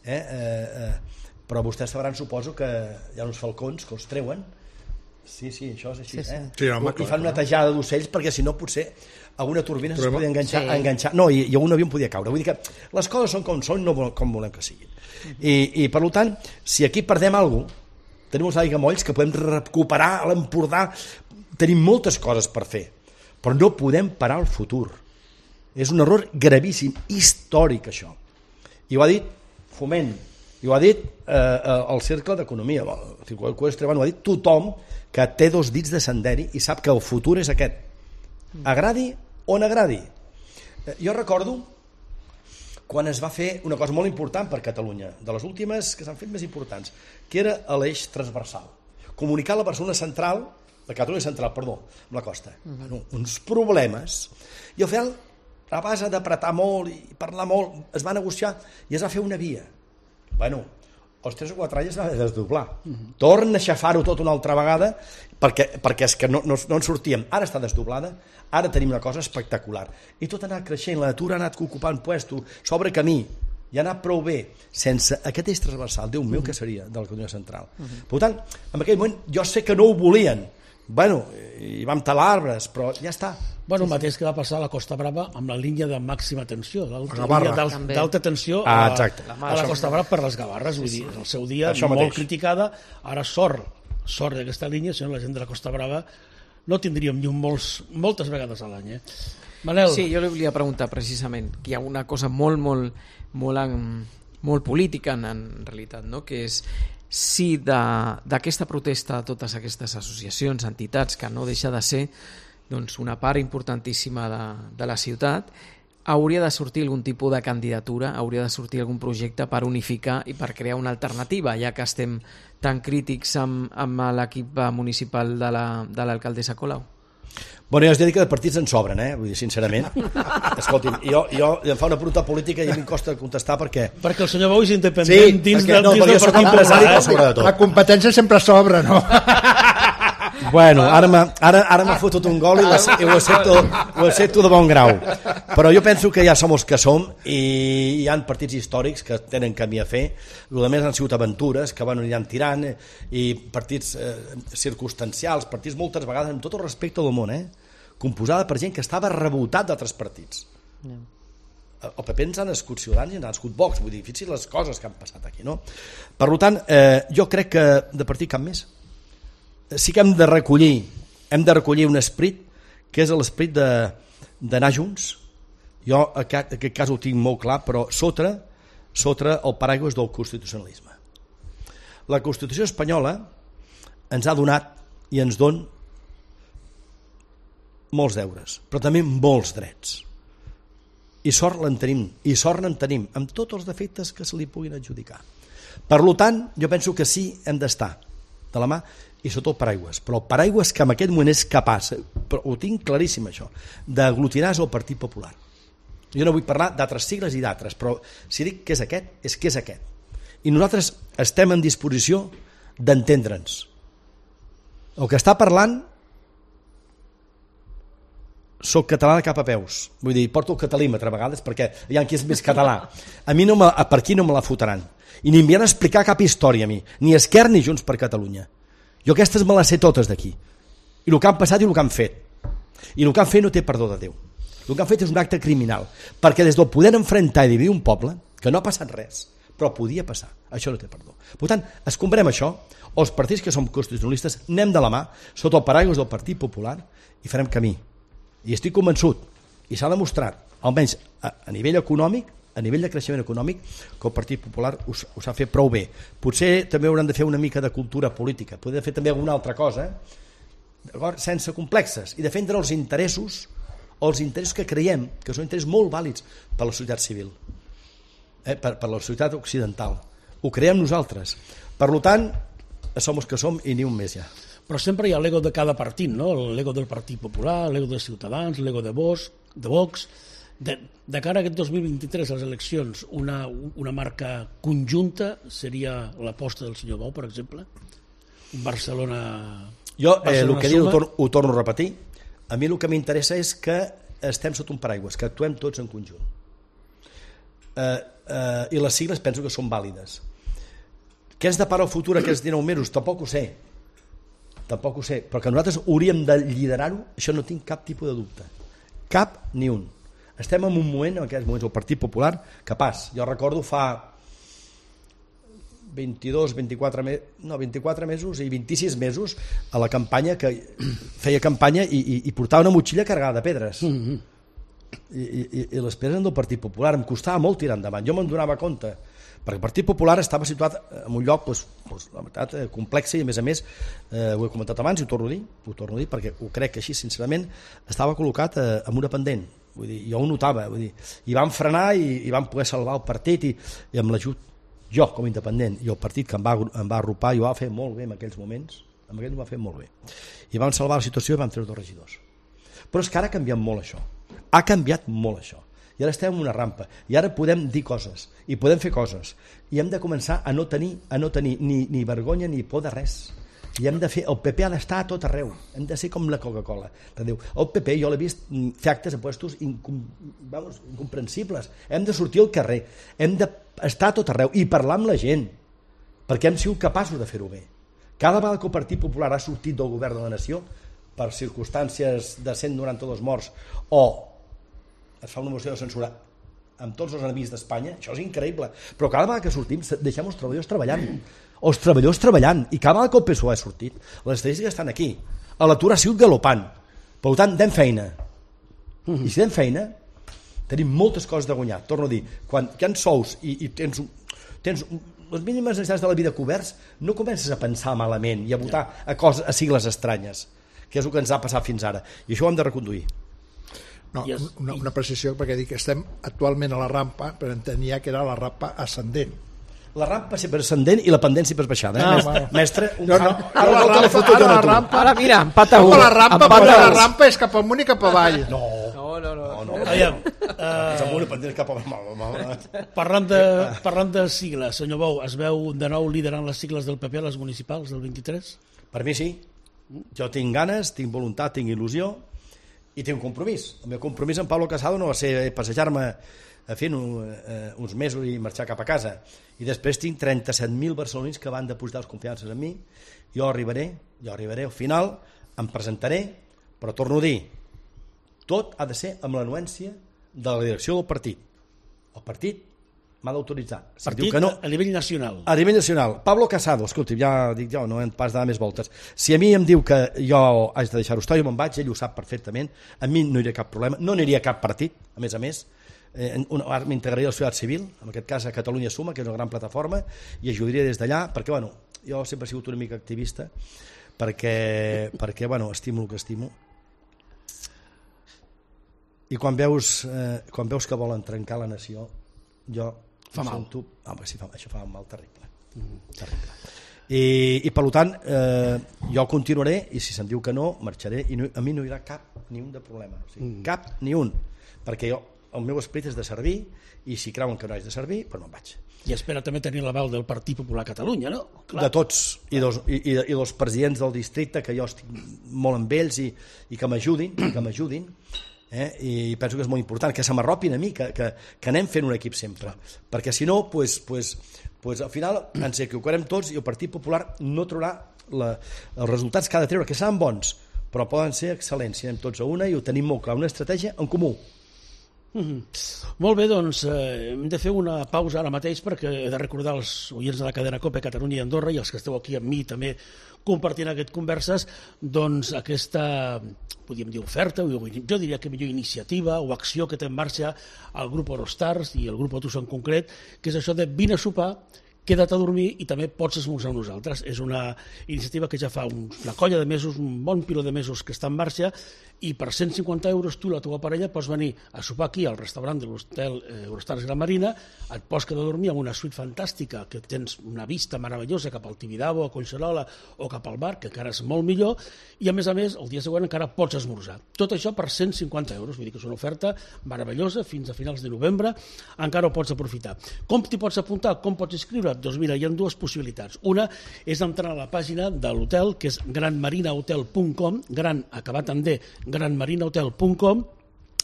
eh? Eh, eh, però vostès sabran, suposo, que hi ha uns falcons que els treuen. Sí, sí, això és així, Sí, sí. eh? Sí, home, I fan una tejada d'ocells perquè si no potser alguna turbina es Però, podia enganxar, sí. enganxar. No, i, i un avió em podia caure. Vull dir que les coses són com són, no com volem que siguin. I, i per tant, si aquí perdem alguna cosa, tenim uns aiguamolls que podem recuperar a l'Empordà, tenim moltes coses per fer, però no podem parar el futur. És un error gravíssim, històric, això. I ho ha dit Foment, i ho ha dit eh, el Cercle d'Economia, el Circuit Eqüestre, ho ha dit tothom que té dos dits de senderi i sap que el futur és aquest. Agradi o no agradi. Eh, jo recordo quan es va fer una cosa molt important per Catalunya, de les últimes que s'han fet més importants, que era l'eix transversal. Comunicar la Barcelona central, la Catalunya central, perdó, amb la costa. Uh-huh. Bueno, uns problemes. I al final, a base d'apretar molt i parlar molt, es va negociar i es va fer una via. Bueno, els tres o quatre anys es va desdoblar. Uh-huh. Torna a aixafar-ho tot una altra vegada perquè, perquè és que no, no, no en sortíem. Ara està desdoblada, ara tenim una cosa espectacular. I tot ha anat creixent, la natura ha anat ocupant puesto, s'obre camí, i ha anat prou bé. Sense aquest eix transversal, Déu meu, uh-huh. què seria de la Catalunya central? Uh-huh. Per tant, en aquell moment jo sé que no ho volien. Bueno, i vam talar arbres, però ja està. Bueno, el mateix que va passar a la Costa Brava amb la línia de màxima tensió, La l'alta Gavarra. línia d'al- També. d'alta tensió Ah, a, exacte. a la Costa Brava per les Gavarres, vull dir, el seu dia Això molt mateix. criticada, ara sort, sort d'aquesta línia, si no la gent de la Costa Brava no tindríem llum molts, moltes vegades a l'any. Eh? Manel, Sí, jo li volia preguntar precisament que hi ha una cosa molt, molt, molt, en- molt política en, en realitat, no? Que és si de- d'aquesta protesta de totes aquestes associacions, entitats, que no deixa de ser doncs, una part importantíssima de, de la ciutat, hauria de sortir algun tipus de candidatura, hauria de sortir algun projecte per unificar i per crear una alternativa, ja que estem tan crítics amb, amb l'equip municipal de l'alcaldessa la, Colau? Bueno, jo es dic que de partits en sobren, eh? Vull dir, sincerament. Escolti'm, jo, jo em fa una pregunta política i a mi em costa contestar perquè... Perquè el senyor Bou és independent sí, dins, perquè, de, no, dins del partit empresari, eh? Sobre de tot. La competència sempre sobra, no? Bueno, ara m'ha ara, ara m'ha fotut un gol i, la, i ho, accepto, ho accepto de bon grau. Però jo penso que ja som els que som i hi ha partits històrics que tenen camí a fer. El que més han sigut aventures que van aniran tirant i partits eh, circumstancials, partits moltes vegades amb tot el respecte del món, eh? Composada per gent que estava revoltat d'altres partits. No. El P P ens ha nascut Ciutadans i ens ha nascut Vox, vull dir, fixi les coses que han passat aquí, no? Per tant, eh, jo crec que de partit cap més. Sí que hem de recollir, hem de recollir un esperit que és l'esperit d'anar junts. Jo aquest, aquest cas ho tinc molt clar, però sota, sota el paraigua del constitucionalisme. La Constitució espanyola ens ha donat i ens don molts deures, però també molts drets. I sort l'en tenim, i sort n'en tenim, amb tots els defectes que se li puguin adjudicar. Per tant, jo penso que sí hem d'estar de la mà i sota el paraigües, però el paraigües que en aquest moment és capaç, però ho tinc claríssim això, d'aglutinar és el Partit Popular. Jo no vull parlar d'altres sigles i d'altres, però si dic que és aquest, és que és aquest. I nosaltres estem en disposició d'entendre'ns. El que està parlant soc català de cap a peus, vull dir, porto el catalímetre a vegades perquè hi ha qui és més català. A mi no me, per aquí no me la fotran i ni m'hi han d'explicar cap història a mi, ni Esquerra ni Junts per Catalunya. Jo aquestes me les sé totes d'aquí. I el que han passat i el que han fet. I el que han fet no té perdó de Déu. El que han fet és un acte criminal. Perquè des del poder enfrontar i dividir un poble, que no ha passat res, però podia passar. Això no té perdó. Per tant, escombrem això, els partits que som constitucionalistes, anem de la mà, sota el paraigua del Partit Popular, i farem camí. I estic convençut, i s'ha demostrat, almenys a, a nivell econòmic, a nivell de creixement econòmic, que el Partit Popular ho, ho s'ha fet prou bé. Potser també hauran de fer una mica de cultura política, poder fer també alguna altra cosa, sense complexes, i defendre els interessos, els interessos que creiem que són interessos molt vàlids per la societat civil, eh? per, per la societat occidental. Ho creiem nosaltres. Per tant, som els que som i ni un més ja. Però sempre hi ha l'ego de cada partit, no? L'ego del Partit Popular, l'ego de Ciutadans, l'ego de Vox, de Vox. De, de cara a aquest dos mil vint-i-tres, a les eleccions, una, una marca conjunta seria l'aposta del senyor Bou, per exemple? Barcelona... Jo eh, el que diu ho torno, ho torno a repetir. A mi el que m'interessa és que estem sota un paraigües, que actuem tots en conjunt. Eh, eh, I les sigles penso que són vàlides. Què ens depara el futur aquests dinou mesos? Tampoc ho sé. Tampoc ho sé. Però que nosaltres hauríem de liderar-ho, això no tinc cap tipus de dubte. Cap ni un. Estem en un moment, en aquests moments, el Partit Popular, capaç. Jo recordo fa vint-i-dos, vint-i-quatre, no, vint-i-quatre mesos i vint-i-sis mesos a la campanya, que feia campanya i, i, i portava una motxilla carregada de pedres. Mm-hmm. I, i, i les pedres del Partit Popular em costava molt tirar endavant. Jo me'n donava compte, perquè el Partit Popular estava situat en un lloc, doncs, doncs, la veritat, complex, i a més a més, eh, ho he comentat abans i ho torno a dir, ho torno a dir perquè ho crec que així, sincerament, estava col·locat eh, en una pendent. Vull dir, jo ho notava, vull dir, i van frenar i, i van poder salvar el partit i, i amb l'ajut, jo com a independent i el partit que em va, em va arropar i ho va fer molt bé en aquells moments, en aquells ho va fer molt bé, i van salvar la situació i van fer dos regidors. Però és que ara ha canviat molt això, ha canviat molt això, i ara estem en una rampa i ara podem dir coses i podem fer coses i hem de començar a no tenir, a no tenir ni, ni vergonya ni por de res. I hem de fer, el P P ha d'estar a tot arreu, hem de ser com la Coca-Cola. El P P jo l'he vist fer actes a puestos incom, vamos, incomprensibles, hem de sortir al carrer, hem d'estar a tot arreu i parlar amb la gent, perquè hem sigut capaços de fer-ho bé. Cada vegada que el Partit Popular ha sortit del govern de la nació per circumstàncies de cent noranta-dos morts o es fa una moció de censura amb tots els enemics d'Espanya, això és increïble, però cada vegada que sortim deixem els treballadors treballant, els treballadors treballant, i cada vegada que el P S O E ha sortit, les estadístiques estan aquí, l'atur ha sigut galopant, per tant, dem feina, i si dem feina, tenim moltes coses de guanyar, torno a dir, quan hi ha sous i, i tens, tens les mínimes necessitats de la vida coberts, no comences a pensar malament i a votar a, coses, a sigles estranyes, que és el que ens ha passat fins ara, i això ho hem de reconduir. No, I es, una, una precisió, perquè dic que estem actualment a la rampa, però entenia que era la rampa ascendent. La rampa sempre ascendent i la pendent sempre baixada. Eh? Ah, mestre, bueno. mestre, un No, no, camp- ara la volta rampa, fotut ara una la tu. rampa, Ara mira, empat a no, un. la rampa, Empat perquè a la un. rampa és cap amunt i cap avall. No, No, no, no. no, no. Aviam, És uh, amunt i pendent cap a... parlant, de, parlant de sigles, senyor Bou, es veu de nou liderant les sigles del P P a les municipals del vint-i-tres? Per mi sí. Jo tinc ganes, tinc voluntat, tinc il·lusió i tinc un compromís. El meu compromís amb Pablo Casado no va ser passejar-me fent un, eh, uns mesos i marxar cap a casa. I després tinc trenta-set mil barcelonins que van depositar les confiances en mi. Jo arribaré, jo arribaré al final, em presentaré, però torno a dir, tot ha de ser amb l'anuència de la direcció del partit. El partit m'ha d'autoritzar. Si Partit diu que no, a nivell nacional. a nivell nacional. Pablo Casado, escolti, ja dic jo, no hem pas de dar més voltes. Si a mi em diu que jo haig de deixar-ho estar, jo me'n vaig, ell ho sap perfectament, a mi no hi ha cap problema, no aniria a cap partit, a més a més, eh, m'integraria a la societat civil, en aquest cas a Catalunya Suma, que és una gran plataforma, i ajudaria des d'allà, perquè, bueno, jo sempre he sigut una mica activista, perquè, perquè bueno, estimo el que estimo. I quan veus, eh, quan veus que volen trencar la nació, jo Fa mal. sento, home, sí, fa, això fa un mal terrible, mm, terrible. I, i per tant eh, jo continuaré i si se'm diu que no, marxaré i no, a mi no hi haurà cap ni un de problema, o sigui, mm. cap ni un, perquè jo, el meu esperit és de servir i si creuen que no haig de servir, doncs me'n vaig. I espera també tenir l'aval del Partit Popular Catalunya, no? De tots, i dels, i, i, i dels presidents del districte, que jo estic molt amb ells i, i que m'ajudin, que m'ajudin, eh? I penso que és molt important que se m'arropin a mi, que, que, que anem fent un equip sempre, perquè si no pues, pues, pues, al final ens equivocarem tots i el Partit Popular no trobarà la, els resultats que ha de treure, que seran bons, però poden ser excel·lents si anem tots a una i ho tenim molt clar, una estratègia en comú. Mm-hmm. Molt bé, doncs eh, hem de fer una pausa ara mateix perquè he de recordar als oients de la cadena COPE Catalunya i Andorra i els que esteu aquí amb mi també compartint aquest converses, doncs aquesta, podríem dir oferta, jo diria que millor iniciativa o acció que té en marxa el grup Eurostars i el grup Otus en concret, que és això de vine a sopar, queda't a dormir i també pots esmorzar amb nosaltres. És una iniciativa que ja fa un, una colla de mesos, un bon piló de mesos que està en marxa i per cent cinquanta euros tu i la teva parella pots venir a sopar aquí al restaurant de l'hotel eh, Eurostars Gran Marina, et pots quedar a dormir amb una suite fantàstica que tens una vista meravellosa cap al Tibidabo, a Collserola o cap al bar, que encara és molt millor, i a més a més el dia següent encara pots esmorzar. Tot això per cent cinquanta euros, vull dir que és una oferta meravellosa fins a finals de novembre, encara ho pots aprofitar. Com t'hi pots apuntar? Com pots inscriure? Doncs mira, hi ha dues possibilitats. Una és entrar a la pàgina de l'hotel, que és gran marina hotel punt com, gran acabat en D, gran marina hotel punt com,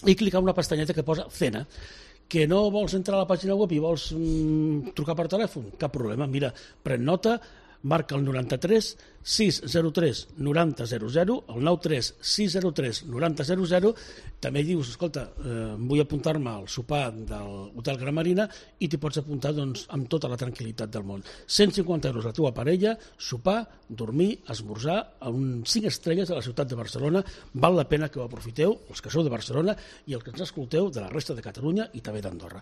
i clicar una pestanyeta que posa cena. Que no vols entrar a la pàgina web i vols mm, trucar per telèfon? Cap problema. Mira, pren nota, marca el noranta-tres sis zero tres noranta zero zero, el nou tres sis zero tres noranta zero zero, també dius, escolta, eh, vull apuntar-me al sopar del Hotel Gran Marina i t'hi pots apuntar doncs, amb tota la tranquil·litat del món. cent cinquanta euros la teva parella, sopar, dormir, esmorzar a un cinc estrelles a la ciutat de Barcelona. Val la pena que ho aprofiteu, els que sou de Barcelona i els que ens escolteu de la resta de Catalunya i també d'Andorra.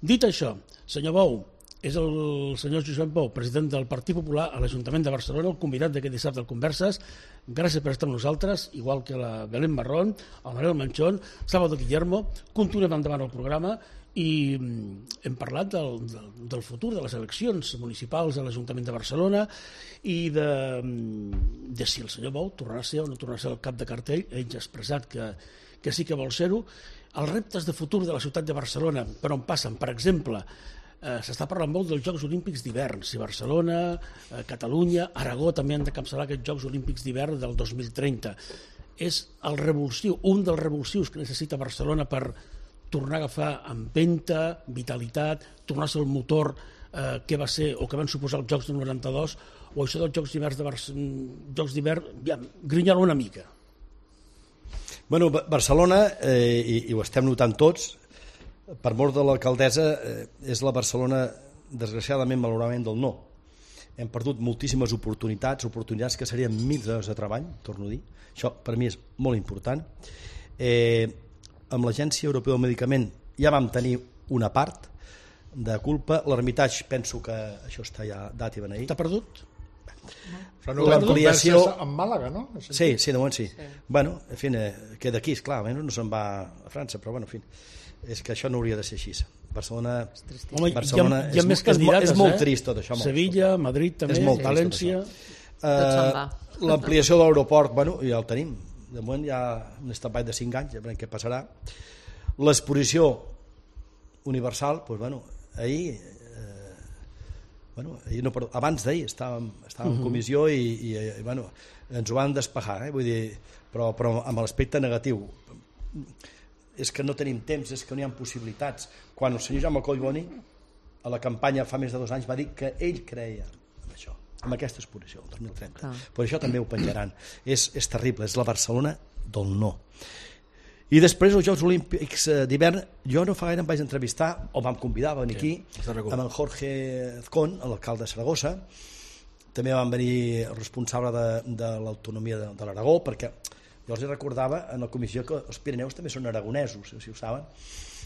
Dit això, senyor Bou, és el senyor Josep Bou, president del Partit Popular a l'Ajuntament de Barcelona, el convidat d'aquest dissabte al Converses. Gràcies per estar amb nosaltres, igual que la Belén Marrón, el Manuel Manchón, Salvador Guillermo. Continuem endavant el programa i hem parlat del, del, del futur de les eleccions municipals a l'Ajuntament de Barcelona i de, de si el senyor Bou tornarà a ser o no tornarà a ser el cap de cartell. Ell ja ha expressat que, que sí que vol ser-ho. Els reptes de futur de la ciutat de Barcelona, per on passen, per exemple, Eh, s'està parlant molt dels Jocs Olímpics d'hivern. Si Barcelona, eh, Catalunya, Aragó també han de capçalar aquests Jocs Olímpics d'hivern del dos mil trenta. És el revulsiu, un dels revulsius que necessita Barcelona per tornar a agafar empenta, vitalitat, tornar a ser el motor eh, que va ser o que van suposar els Jocs del noranta-dos, o això dels Jocs d'hivern de Barcelona, Jocs d'hivern, ja, grinyola una mica. Bueno, Barcelona, eh, i, i ho estem notant tots, per mort de l'alcaldessa, eh, és la Barcelona, desgraciadament, malauradament, del no. Hem perdut moltíssimes oportunitats, oportunitats que serien mil hores de treball, torno a dir. Això, per mi, és molt important. Eh, amb l'Agència Europea del Medicament ja vam tenir una part de culpa. L'Hermitage, penso que això està ja dat i beneït. T'ha perdut? Però no l'ampliació en Màlaga, no? Sí, sí, de moment sí. sí. Bueno, en fi, eh, queda aquí, esclar, no se'n va a França, però bueno, en fi, és que això no hauria de ser així. Barcelona, Home, Barcelona hi ha, hi ha és, més candidates, és, és molt eh? trist tot això. Sevilla, Madrid també, València... Uh, L'ampliació de l'aeroport, bueno, ja el tenim. De moment hi ha un estampat de cinc anys, ja veurem què passarà. L'exposició universal, doncs, bueno, ahir... Bueno, no, perdó, abans d'ahir estàvem, estàvem uh-huh. en comissió i, i, i bueno, ens ho van despejar, eh? Vull dir, però, però amb l'aspecte negatiu. És que no tenim temps, és que no hi ha possibilitats. Quan el senyor Jaume Collboni a la campanya fa més de dos anys va dir que ell creia en això, en aquesta exposició, el dos mil trenta. Ah. Per això també ho penjaran. És, és terrible, és la Barcelona del no. I després els Jocs Olímpics d'hivern, jo no fa gaire em vaig entrevistar, o vam convidar a venir aquí, sí, amb en Jorge Azcón, l'alcalde de Saragossa. També van venir el responsable de, de l'autonomia de, de l'Aragó, perquè jo els recordava en la comissió que els Pirineus també són aragonesos, si ho saben.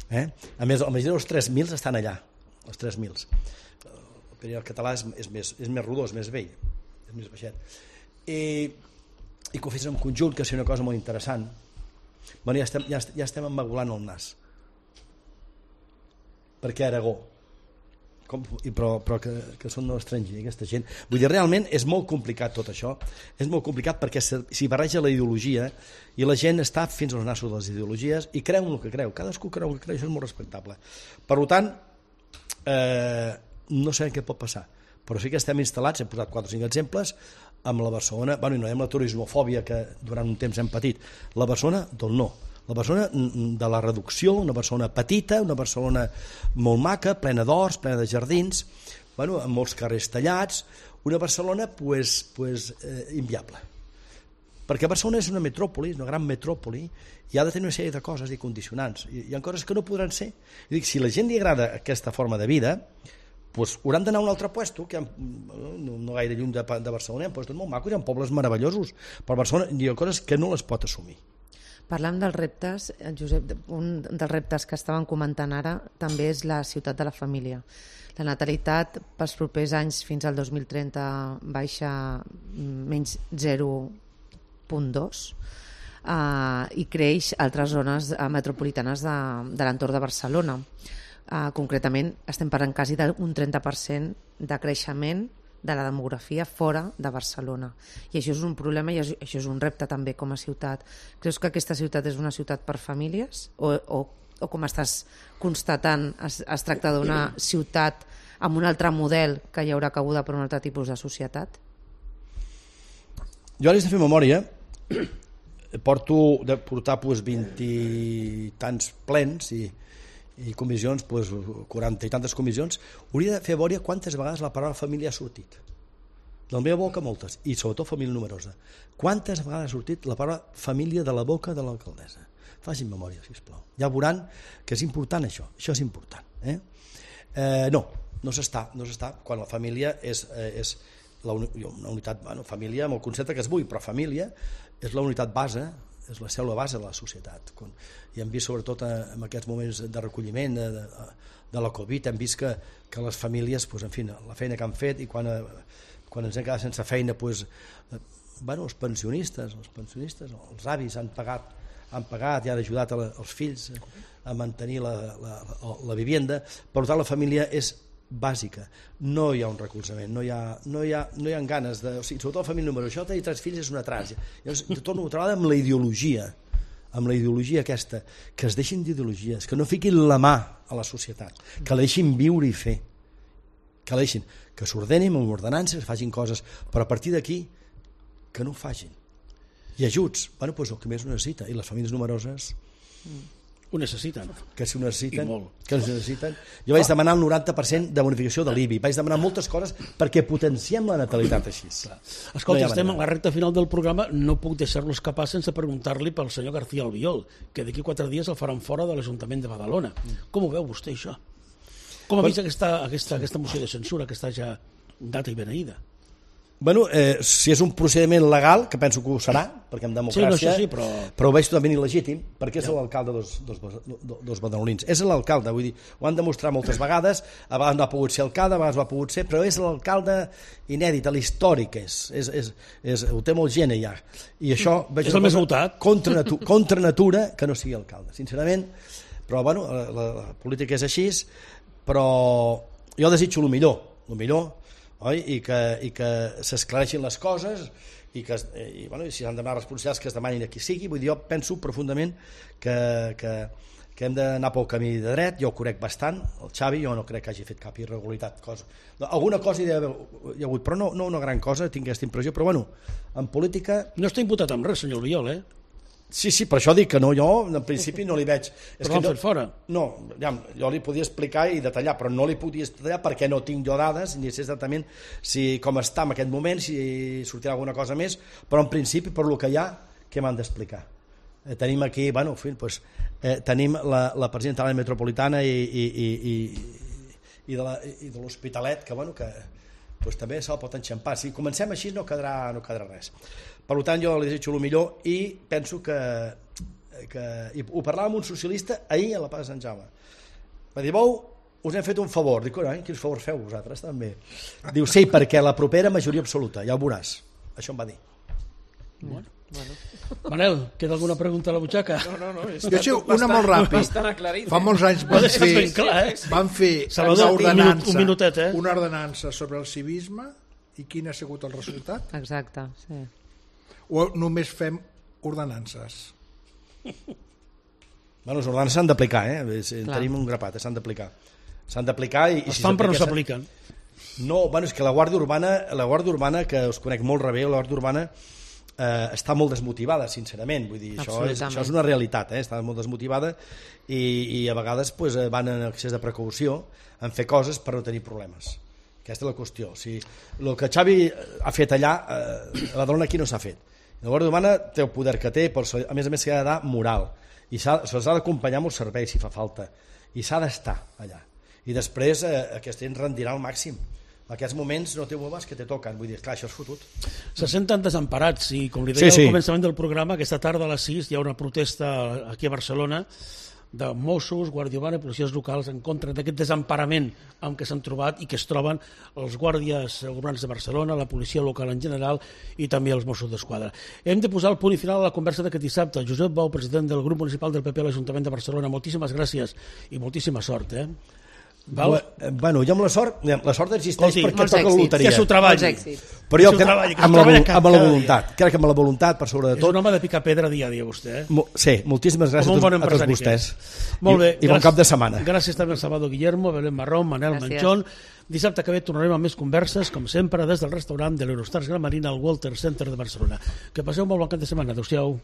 Eh? A més, el més dels tres mil estan allà, els tres mil. El Pirineu català és, és, més, és més rodó, és més vell, és més baixet. I, i que ho fes en conjunt, que és una cosa molt interessant. Bueno, ja estem, ja, ja estem emmagulant el nas. Perquè Aragó, com, i però, però que, que són no estrangers, aquesta gent. Vull dir, realment és molt complicat tot això. És molt complicat perquè s'hi barreja la ideologia i la gent està fins als nassos de les ideologies i creu en el que creu. Cadascú creu el que creu, això és molt respectable. Per tant, eh, no sabem què pot passar. Però sí que estem instal·lats, hem posat quatre o cinc exemples, amb la Barcelona, bueno, i no hi ha la turismofòbia que durant un temps hem patit, la Barcelona del no, la Barcelona de la reducció, una Barcelona petita, una Barcelona molt maca, plena d'horts, plena de jardins, bueno, amb molts carrers tallats, una Barcelona pues, pues, eh, inviable. Perquè Barcelona és una metròpoli, una gran metròpoli, i ha de tenir una sèrie de coses i condicionants, i hi ha coses que no podran ser. I dic, si a la gent li agrada aquesta forma de vida, pues, hauran d'anar a un altre puesto, que no, no gaire lluny de, de Barcelona, hi ha puestos molt macos, hi ha pobles meravellosos, però Barcelona hi ha coses que no les pot assumir. Parlant dels reptes, Josep, un dels reptes que estàvem comentant ara també és la ciutat de la família. La natalitat pels propers anys fins al dos mil trenta baixa menys zero coma dos uh, i creix a altres zones metropolitanes de, de l'entorn de Barcelona. Uh, concretament estem parlant quasi d'un trenta per cent de creixement de la demografia fora de Barcelona, i això és un problema i això és un repte també com a ciutat. Creus que aquesta ciutat és una ciutat per famílies o, o, o com estàs constatant es, es tracta d'una ciutat amb un altre model que hi haurà cabuda per un altre tipus de societat? Jo ara he de fer memòria, porto de portar pues, vint i tants plens i i comissions, pues, quaranta i tantes comissions, hauria de fer memòria quantes vegades la paraula família ha sortit. De la meva boca, moltes, i sobretot família numerosa. Quantes vegades ha sortit la paraula família de la boca de l'alcaldessa? Facin memòria, sisplau. Ja veuran que és important això, això és important. Eh? Eh, no, no s'està, no s'està quan la família és, eh, és la uni, una unitat, bueno, família amb el concepte que es vulgui, però família és la unitat base, és la cèl·lula base de la societat. Quan, i hem vist sobretot en aquests moments de recolliment de, de, de la Covid, hem vist que, que les famílies, pues, en fi, la feina que han fet, i quan, quan ens hem quedat sense feina, pues, bueno, els pensionistes, els pensionistes, els avis han pagat, han pagat i han ajudat els fills a mantenir la, la, la, la vivienda. Per tant, la família és bàsica, no hi ha un recolzament, no hi ha, no hi ha, no hi ha ganes de, o sigui, sobretot la família número, això de tenir tres fills és una tràgia. Llavors, jo torno a treballar amb la ideologia, amb la ideologia aquesta, que es deixin d'ideologies, que no fiquin la mà a la societat, que la deixin viure i fer, que la deixin, que s'ordenin amb ordenances, que facin coses, però a partir d'aquí que no ho facin. I ajuts, bueno, doncs el que més ho necessita, i les famílies numeroses ho necessiten. Que si ho necessiten, que ho necessiten. Jo vaig demanar el noranta per cent de bonificació de l'I B I, vaig demanar moltes coses perquè potenciem la natalitat així. Escolta, no estem a la recta final del programa, no puc deixar-lo escapar sense preguntar-li pel senyor García Albiol, que d'aquí quatre dies el faran fora de l'Ajuntament de Badalona. Com ho veu vostè, això? Com ha vist aquesta, aquesta, aquesta moció de censura que està ja data i beneïda? Bueno, eh, si és un procediment legal, que penso que ho serà, perquè en democràcia, sí, no, sí, però... però ho veig totalment il·legítim, perquè és ja. l'alcalde dels, dels, dels badalonins. És l'alcalde, vull dir, ho han demostrat moltes vegades, a vegades no ha pogut ser alcalde, a vegades ho ha pogut ser, però és l'alcalde inèdit, l'històric és, és, és, és, ho té molt gent ja. I això... Veig és el més votat. Contra, natu, contra natura que no sigui alcalde, sincerament, però bueno, la, la, la política és així, però jo desitjo el millor, el millor, oi? I que, i que s'esclareixin les coses i que i, bueno, i si s'han de demanar responsabilitats que es demanin a qui sigui. Vull dir, jo penso profundament que, que, que hem d'anar pel camí de dret. Jo ho conec bastant, el Xavi, jo no crec que hagi fet cap irregularitat, cosa. Alguna cosa hi ha hagut, però no, no una gran cosa, tinc aquesta impressió, però bueno, en política... No està imputat amb res, senyor Albiol, eh? Sí, sí, per això dic que no, jo en principi no li veig... És però l'han no, fet fora. No, ja, jo li podia explicar i detallar, però no li podia detallar perquè no tinc jo dades, ni sé exactament si, com està en aquest moment, si sortirà alguna cosa més, però en principi, per lo que hi ha, què m'han d'explicar? Eh, tenim aquí, bueno, en fi, pues, eh, tenim la, la presidenta de l'àrea metropolitana i, i, i, i, i de la- i de l'Hospitalet, que, bueno, que pues, també se'l pot enxampar. Si comencem així no quedarà, no quedarà res. Per tant, jo li desitjo el millor i penso que, que i ho parlava amb un socialista ahir a la Plaça de Sant Jaume. Va dir, Bou, us hem fet un favor. Dic, eh, quins favors feu vosaltres també? Diu, sí, perquè la propera majoria absoluta, ja ho veuràs. Això em va dir. Bueno. Manel, queda alguna pregunta a la butxaca? No, no, no. És Jo sé una molt ràpid. Bastant aclarit. Fa molts anys Ho van has deixat fer, ben clar, eh? van fer Salvador, una un minut- ordenança, un minutet, eh? una ordenança sobre el civisme i quin ha sigut el resultat? Exacte, sí. O només fem ordenances? Bueno, les ordenances s'han d'aplicar, eh? És- Clar. Tenim un grapat, eh? S'han d'aplicar. S'han d'aplicar i, i Es si fan però no s'apliquen- s'apliquen. No, bueno, és que la Guàrdia Urbana, la Guàrdia Urbana, que us conec molt rebé, la Guàrdia Urbana eh, està molt desmotivada, sincerament. Vull dir, això és, Absolutament. això és una realitat, eh? Està molt desmotivada i, i a vegades pues, eh, van en excés de precaució en fer coses per no tenir problemes. Aquesta és la qüestió. O sigui, el que Xavi ha fet allà, eh, a Badalona aquí no s'ha fet. La Guàrdia Urbana té el poder que té, però a més a més s'ha de dar moral i se'ls ha d'acompanyar amb els serveis si fa falta i s'ha d'estar allà i després eh, aquesta gent rendirà al màxim. En aquests moments no té bombes que te toquen, vull dir, clar, això és fotut. Se senten desemparats i, com li deia Sí, sí. al començament del programa, aquesta tarda a les sis hi ha una protesta aquí a Barcelona de Mossos, Guàrdia Urbana i policies locals en contra d'aquest desemparament amb què s'han trobat i que es troben els guàrdies urbans de Barcelona, la policia local en general i també els Mossos d'Esquadra. Hem de posar el punt i final a la conversa d'aquest dissabte. Josep Bou, president del grup municipal del P P a l'Ajuntament de Barcelona, moltíssimes gràcies i moltíssima sort. Eh? Val? Bueno, jo amb la sort, la sort existeix Escolti, perquè molts toca la èxits. loteria. Que s'ho treballi. Molts èxits. Però jo Que s'ho crec, treballi, que s'ho amb, la, treballa vol- amb la cada dia. voluntat, crec que amb la voluntat per sobre de És tot. un home de picar pedra dia a dia, vostè. Eh? Mo- Sí, moltíssimes gràcies Com a un tots, bon a tots empresari vostès. que és. Molt bé. I, i bon gràcies- cap de setmana. Gràcies també al Salvador Guillermo, Belén Marrón, Manel Gràcies. Manchón. Dissabte que ve tornarem amb més converses, com sempre, des del restaurant de l'Eurostars Gran Marina al Walter Center de Barcelona. Que passeu un molt bon cap de setmana. Adéu-siau.